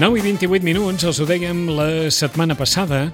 9:28, els ho dèiem la setmana passada.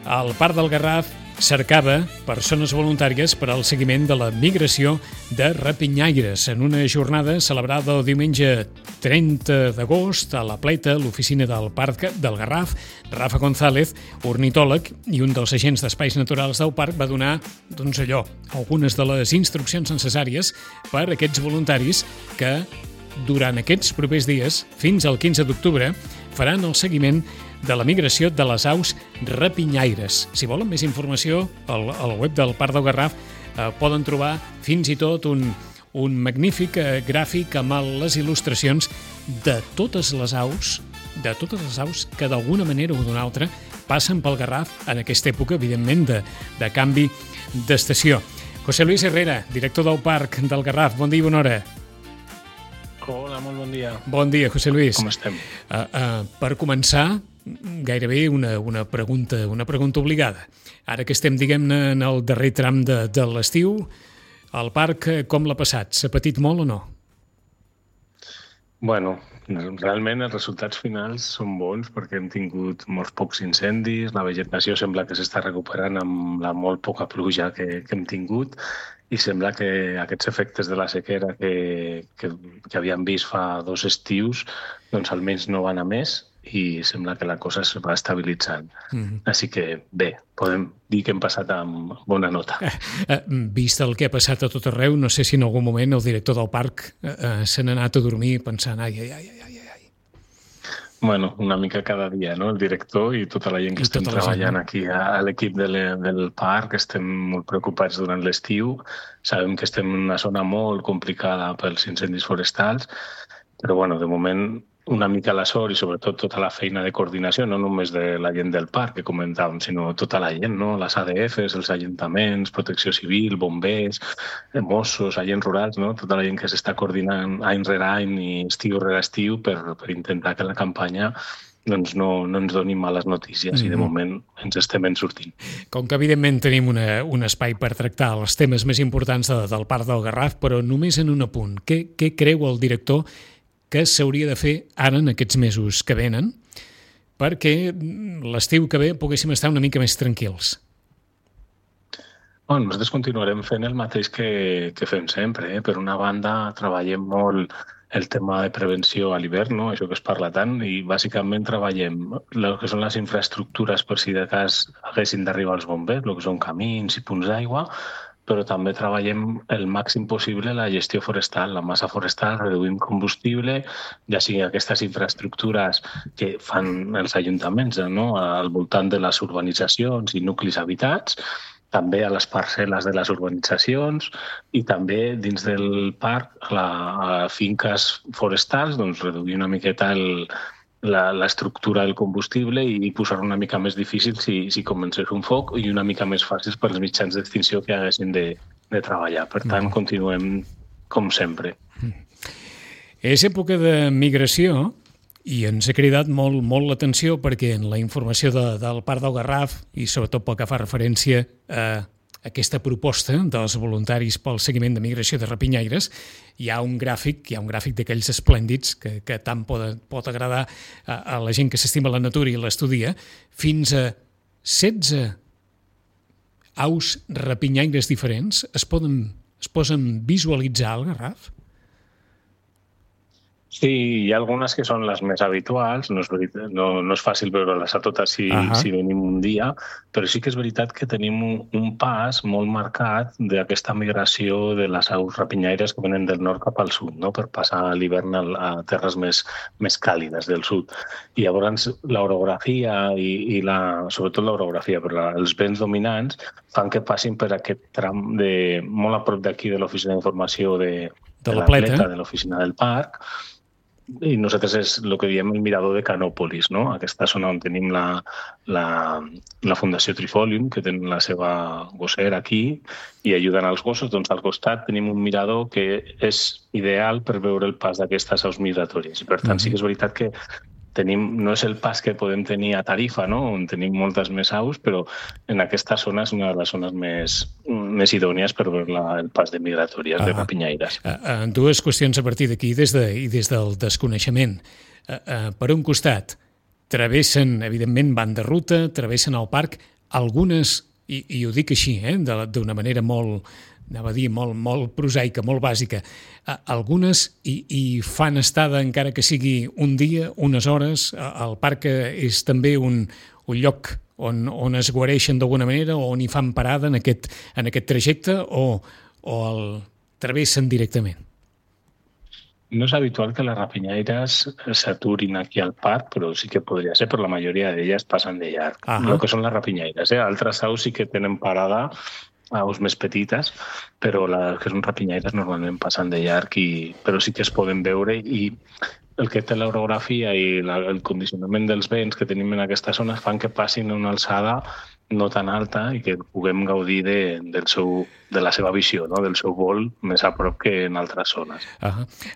El Parc del Garraf cercava persones voluntàries per al seguiment de la migració de rapinyaires en una jornada celebrada el diumenge 30 d'agost a la Pleta, l'oficina del Parc del Garraf. Rafa González, ornitòleg i un dels agents d'espais naturals del parc, va donar, algunes de les instruccions necessàries per a aquests voluntaris que durant aquests propers dies, fins al 15 d'octubre, faran el seguiment de la migració de les aus rapinyaires. Si volen més informació, al web del Parc del Garraf poden trobar fins i tot un magnífic gràfic amb les il·lustracions de totes les aus que d'alguna manera o d'una altra passen pel Garraf en aquesta època, evidentment, de canvi d'estació. José Luis Herrera, director del Parc del Garraf, bon dia i bona hora. Hola, molt bon dia. Bon dia, José Luis. Com estem? Per començar, gairebé una pregunta obligada. Ara que estem, diguem-ne, en el darrer tram de l'estiu, el parc com l'ha passat? S'ha patit molt o no? Bueno, realment els resultats finals són bons perquè hem tingut molts pocs incendis, la vegetació sembla que s'està recuperant amb la molt poca pluja que hem tingut i sembla que aquests efectes de la sequera que havíem vist fa 2 estius doncs almenys no van a més i sembla que la cosa es va estabilitzant. Així que bé, podem dir que hem passat amb bona nota. Vist el que ha passat a tot arreu, no sé si en algun moment el director del parc se n'ha anat a dormir pensant ai. Bueno, una mica cada dia, no? El director i tota la gent que estem treballant aquí a l'equip del parc, estem molt preocupats durant l'estiu. Sabem que estem en una zona molt complicada pels incendis forestals, però bueno, de moment una mica la sort i sobretot tota la feina de coordinació, no només de la gent del parc que comentàvem, sinó tota la gent, no? Les ADFs, els ajuntaments, protecció civil, bombers, Mossos, agents rurals, no? Tota la gent que s'està coordinant any rere any i estiu rere estiu per intentar que la campanya doncs no ens doni males notícies i de moment ens estem sortint. Com que evidentment tenim un espai per tractar els temes més importants del Parc del Garraf, però només en un apunt. Què creu el director que s'hauria de fer ara en aquests mesos que venen perquè l'estiu que ve poguéssim estar una mica més tranquils? Bueno, nosaltres continuarem fent el mateix que fem sempre. Per una banda, treballem molt el tema de prevenció a l'hivern, no? Això que es parla tant, i bàsicament treballem el que són les infraestructures per si de cas haguessin d'arribar els bombers, el que són camins i punts d'aigua, però també treballem el màxim possible la gestió forestal, la massa forestal, reduïm combustible, ja sigui aquestes infraestructures que fan els ajuntaments, no? Al voltant de les urbanitzacions i nuclis habitats, també a les parcel·les de les urbanitzacions i també dins del parc, a finques forestals, doncs reduir una miqueta l'estructura del combustible i posar una mica més difícil si comencés un foc i una mica més fàcil per als mitjans d'extinció que haguessin de treballar. Per tant, continuem com sempre. És època de migració i ens ha cridat molt l'atenció perquè en la informació del Parc del Garraf i sobretot pel que fa referència a aquesta proposta dels voluntaris pel seguiment de migració de rapinyaires, hi ha un gràfic d'aquells esplèndids que tant pot agradar a la gent que s'estima la natura i l'estudia, fins a 16 aus rapinyaires diferents es poden visualitzar al Garraf? Sí, hi ha algunes que són les més habituals, no és fàcil veure-les a totes si venim un dia, però sí que és veritat que tenim un pas molt marcat d'aquesta migració de les aus rapinyaires que venen del nord cap al sud, no? Per passar l'hivern a terres més càlides del sud. I llavors l'orografia sobretot l'orografia, però els vents dominants fan que passin per aquest tram molt a prop d'aquí de l'oficina d'informació de la Pleta, de l'oficina del parc, i nosaltres és el que diem el mirador de Canòpolis, no? Aquesta zona on tenim la Fundació Trifolium, que tenen la seva gossera aquí i ajuden als gossos. Doncs al costat tenim un mirador que és ideal per veure el pas d'aquestes aus migratòries. I per tant sí que és veritat que no és el pas que podem tenir a Tarifa, no? On tenim moltes més aus, però en aquesta zona és una de les zones més idònies per veure el pas de migratòries de rapinyaires. Dues qüestions a partir d'aquí des del desconeixement. per un costat, travessen, evidentment, van de ruta, travessen el parc, algunes, i ho dic així, d'una manera molt, anava a dir, molt prosaica, molt bàsica, algunes hi fan estada, encara que sigui un dia, unes hores. El parc és també un lloc on es guareixen d'alguna manera, o on hi fan parada en aquest trajecte, o el travessen directament. No és habitual que les rapinyaires s'aturin aquí al parc, però sí que podria ser, però la majoria d'elles passen de llarg. El que són les rapinyaires. Altres aus sí que tenen parada, aus més petites, però les que són rapinyaires normalment passen de llarg, però sí que es poden veure, i el que té l'orografia i el condicionament dels vents que tenim en aquesta zona fan que passin a una alçada no tan alta i que puguem gaudir de la seva visió, no? Del seu vol més a prop que en altres zones.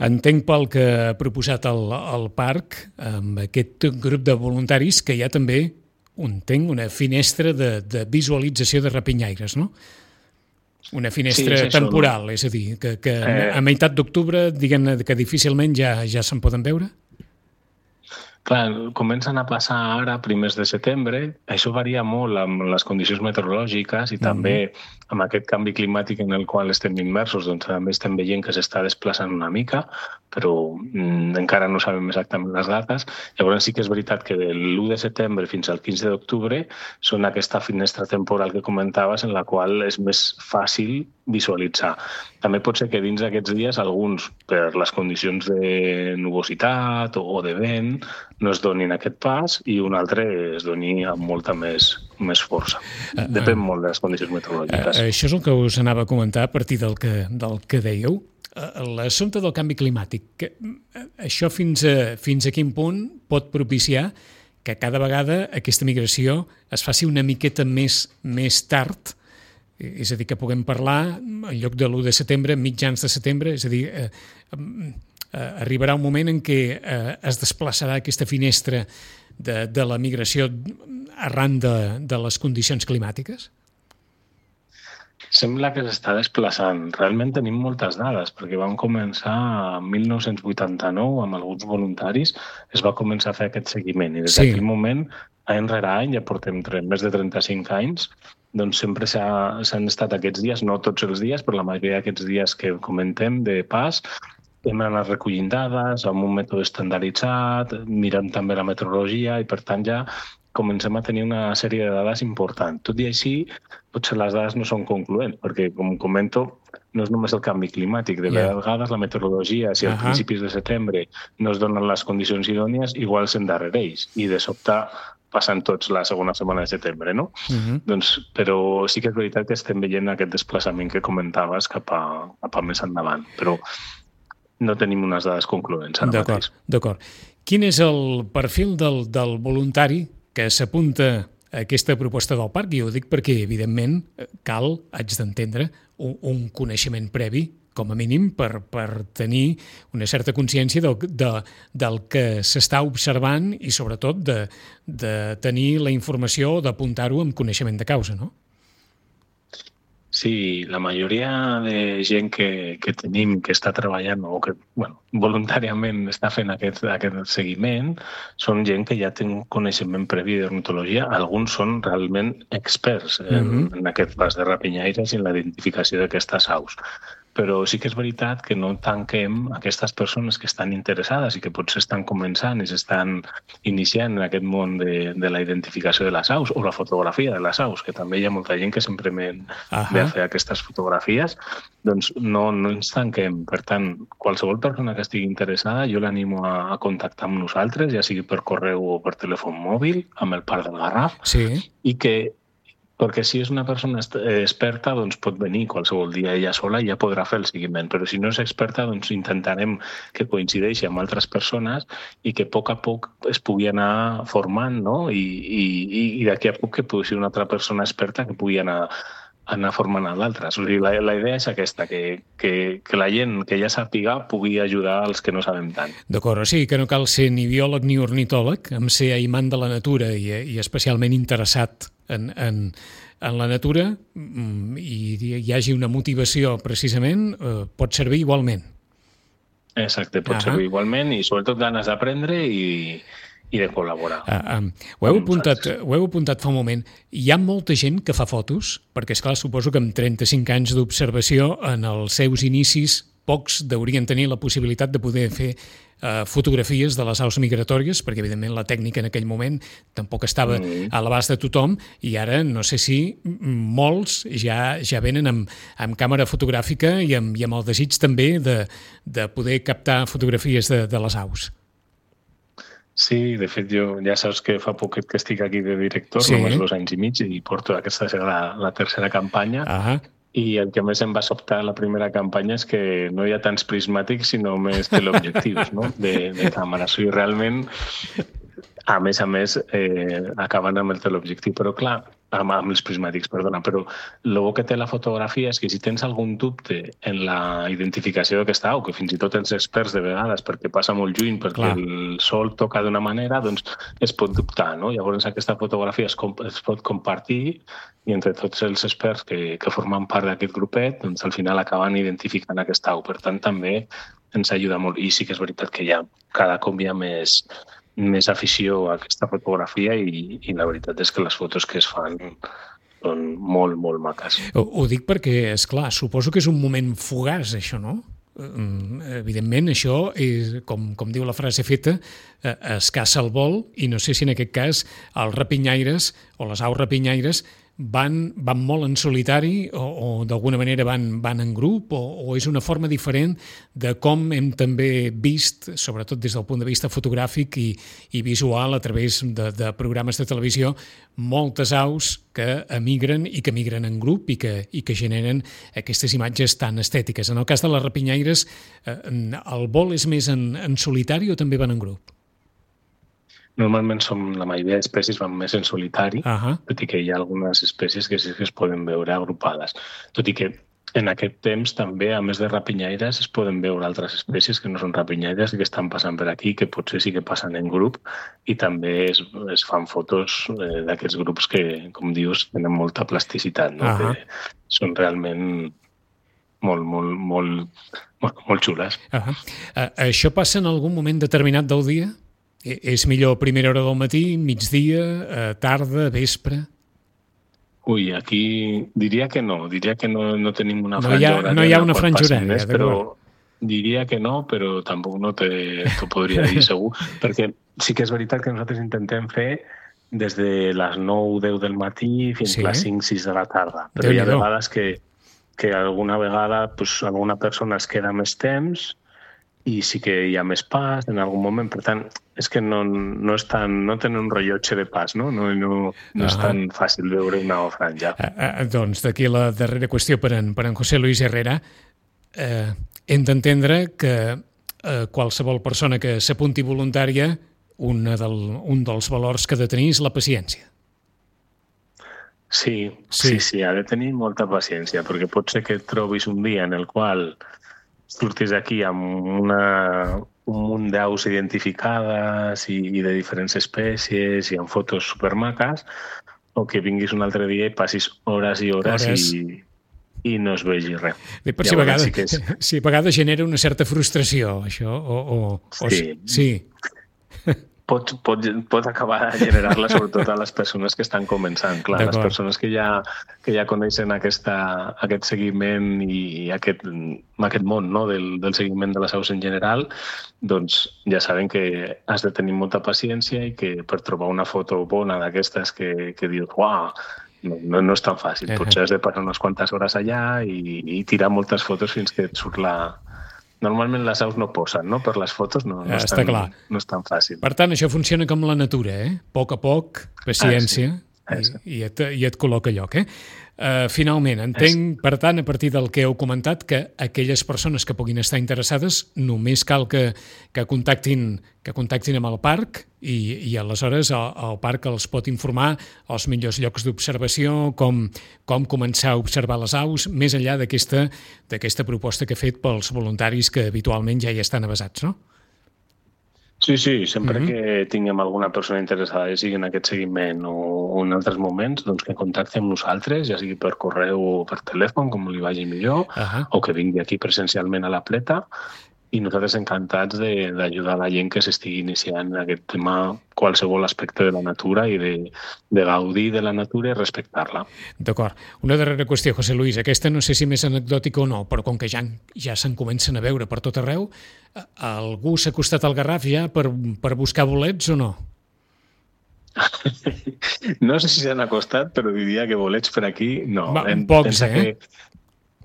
Entenc pel que ha proposat el parc, amb aquest grup de voluntaris, que hi ha també una finestra de visualització de rapinyaires, no? Una finestra temporal, és a dir, que a meitat d'octubre, diguem-ne que difícilment ja se'n poden veure? Clar, comencen a passar ara, primers de setembre. Això varia molt amb les condicions meteorològiques i també amb aquest canvi climàtic en el qual estem immersos, doncs també estem veient que s'està desplaçant una mica, però encara no sabem exactament les dates. Llavors sí que és veritat que de l'1 de setembre fins al 15 d'octubre són aquesta finestra temporal que comentaves, en la qual és més fàcil visualitzar. També pot ser que dins d'aquests dies alguns, per les condicions de nubositat o de vent, no es donin aquest pas, i un altre es doni amb molta més força. Depèn molt de les condicions meteorològiques. Això és el que us anava a comentar a partir del que dèieu. L'assumpte del canvi climàtic, això fins a quin punt pot propiciar que cada vegada aquesta migració es faci una miqueta més tard? És a dir, que puguem parlar, en lloc de l'1 de setembre, mitjans de setembre, és a dir, arribarà un moment en què es desplaçarà aquesta finestra de la migració arran de les condicions climàtiques? Sembla que s'està desplaçant. Realment tenim moltes dades, perquè vam començar en 1989 amb alguns voluntaris, es va començar a fer aquest seguiment, i des d'aquell moment, any rere any, ja portem més de 35 anys, doncs sempre s'han estat aquests dies, no tots els dies, però la majoria d'aquests dies que comentem de pas, hem anat recollint dades amb un mètode estandarditzat, mirant també la meteorologia, i per tant ja comencem a tenir una sèrie de dades importants. Tot i així, potser les dades no són concloents, perquè, com comento, no és només el canvi climàtic. De vegades la meteorologia, si a principis de setembre no es donen les condicions idònies, igual s'endarrereix, i de sobte passen tots la segona setmana de setembre, no? Però sí que és veritat que estem veient aquest desplaçament que comentaves cap a més endavant, però no tenim unes dades concloents ara mateix. D'acord. Quin és el perfil del voluntari que s'apunta a aquesta proposta del parc? I ho dic perquè, evidentment, cal, haig d'entendre, un coneixement previ, com a mínim, per tenir una certa consciència del que s'està observant i, sobretot, de tenir la informació o d'apuntar-ho amb coneixement de causa, no? Sí, la majoria de gent que tenim que està treballant o que voluntàriament està fent aquest seguiment són gent que ja té un coneixement previ d'ornitologia. Alguns són realment experts en aquest pas de rapinyaires i en la identificació d'aquestes aus. Però sí que és veritat que no tanquem aquestes persones que estan interessades i que potser estan començant i s'estan iniciant en aquest món de la identificació de les aus o la fotografia de les aus, que també hi ha molta gent que sempre ve a fer aquestes fotografies, doncs no ens tanquem. Per tant, qualsevol persona que estigui interessada, jo l'animo a contactar amb nosaltres, ja sigui per correu o per telèfon mòbil, amb el Parc del Garraf, i perquè si és una persona experta, doncs pot venir qualsevol dia ella sola i ja podrà fer el seguiment. Però si no és experta, doncs intentarem que coincideixi amb altres persones i que a poc es pugui anar formant, no? I d'aquí a poc que pugui ser una altra persona experta que pugui anar formant a l'altre. O sigui, la idea és aquesta, que la gent que ja sàpiga pugui ajudar els que no sabem tant. D'acord, o sigui que no cal ser ni biòleg ni ornitòleg, amb ser aimant de la natura i especialment interessat en la natura i hi hagi una motivació precisament, pot servir igualment. Exacte, pot ser igualment, i sobretot ganes d'aprendre i de col·laborar. Ho heu apuntat fa un moment. Hi ha molta gent que fa fotos, perquè, esclar, suposo que amb 35 anys d'observació, en els seus inicis, pocs deurien tenir la possibilitat de poder fer fotografies de les aus migratòries, perquè, evidentment, la tècnica en aquell moment tampoc estava a l'abast de tothom, i ara no sé si molts ja venen amb càmera fotogràfica i amb el desig també de poder captar fotografies de les aus. Sí, de fet, jo ja saps que fa poquet que estic aquí de director, només 2 anys i mig, i porto aquesta serà la tercera campanya, i el que més em va sobtar la primera campanya és que no hi ha tants prismàtics, sinó més teleobjectius, no? de càmera. O sigui, realment, a més, acaben amb el teleobjectiu, però clar, amb els prismàtics, perdona, però el bo que té la fotografia és que si tens algun dubte en la identificació d'aquesta au, que fins i tot els experts de vegades, perquè passa molt lluny, perquè el sol toca d'una manera, doncs es pot dubtar, no? Llavors aquesta fotografia es pot compartir i entre tots els experts que formen part d'aquest grupet, doncs al final acaben identificant aquesta au. Per tant, també ens ajuda molt. I sí que és veritat que cada cop hi ha més afició a aquesta fotografia i la veritat és que les fotos que es fan són molt, molt maques. Ho dic perquè, esclar, suposo que és un moment fugaç, això, no? Evidentment, això és, com diu la frase feta, es caça el vol, i no sé si en aquest cas els rapinyaires o les aus rapinyaires van molt en solitari o d'alguna manera van en grup o és una forma diferent de com hem també vist, sobretot des del punt de vista fotogràfic i visual a través de programes de televisió, moltes aus que emigren i que migren en grup i que generen aquestes imatges tan estètiques. En el cas de les rapinyaires, el vol és més en solitari o també van en grup? Normalment la majoria d'espècies van més en solitari, tot i que hi ha algunes espècies que sí que es poden veure agrupades. Tot i que en aquest temps també, a més de rapinyaires, es poden veure altres espècies que no són rapinyaires i que estan passant per aquí, que potser sí que passen en grup, i també es fan fotos d'aquests grups que, com dius, tenen molta plasticitat, no? Que són realment molt xules. Això passa en algun moment determinat del dia? És millor a primera hora del matí, migdia, tarda, vespre? Ui, aquí diria que no tenim una franja horària. No hi ha una franja horària, però diria que no, però tampoc no t'ho podria dir segur, perquè sí que és veritat que nosaltres intentem fer des de les 9-10 del matí fins a les 5-6 de la tarda. Però hi ha vegades que alguna vegada alguna persona es queda més temps i sí que hi ha més pas en algun moment. Per tant, és que no tenen un rellotge de pas, no? No és tan fàcil veure una franja. Doncs d'aquí la darrera qüestió per en José Luis Herrera. Hem d'entendre que qualsevol persona que s'apunti voluntària, un dels valors que ha de tenir és la paciència. Sí, ha de tenir molta paciència, perquè pot ser que et trobis un dia en el qual surtis aquí amb un munt d'aus identificades i de diferents espècies i amb fotos supermaques, o que vinguis un altre dia i passis hores i hores i no es vegi res. Per si a vegades genera una certa frustració, això. Sí. Pot acabar de generar-la sobretot a les persones que estan començant. Clar, les persones que ja coneixen aquest seguiment i aquest món, no, del seguiment de les aus en general, doncs ja saben que has de tenir molta paciència i que per trobar una foto bona d'aquestes que dius, uau, no és tan fàcil. Potser has de passar unes quantes hores allà i tirar moltes fotos fins que et surt la... Normalment les aus no posen, no? Per les fotos no és tan fàcil. Per tant, això funciona com la natura, A poc a poc, paciència, i et col·loca a lloc, Finalment, entenc, per tant, a partir del que heu comentat, que aquelles persones que puguin estar interessades només cal que contactin amb el parc i aleshores el parc els pot informar els millors llocs d'observació, com començar a observar les aus, més enllà d'aquesta proposta que ha fet pels voluntaris que habitualment ja hi estan avesats, no? Sí, sempre que tinguem alguna persona interessada, ja sigui en aquest seguiment o en altres moments, doncs que contacti amb nosaltres, ja sigui per correu o per telèfon, com li vagi millor, o que vingui aquí presencialment a la Pleta, i nosaltres encantats d'ajudar la gent que s'estigui iniciant en aquest tema, qualsevol aspecte de la natura i de gaudir de la natura i respectar-la. D'acord. Una darrera qüestió, José Luis. Aquesta no sé si més anecdòtica o no, però com que ja se'n comencen a veure per tot arreu, algú s'ha acostat al Garraf ja per buscar bolets o no? No sé si s'han acostat, però diria que bolets per aquí no. Pocs,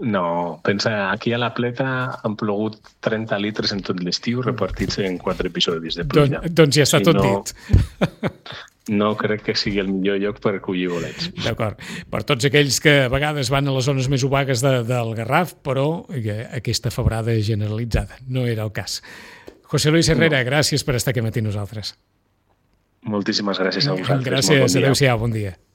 No, pensa, aquí a la Pleta han plogut 30 litres en tot l'estiu repartits en 4 episodis de pluja. Doncs ja està tot dit. No crec que sigui el millor lloc per collir bolets. D'acord. Per tots aquells que a vegades van a les zones més obagues del Garraf, però aquesta febrada generalitzada no era el cas. José Luis Herrera, gràcies per estar aquí matí nosaltres. Moltíssimes gràcies a vosaltres. Gràcies, adéu-siau, bon dia.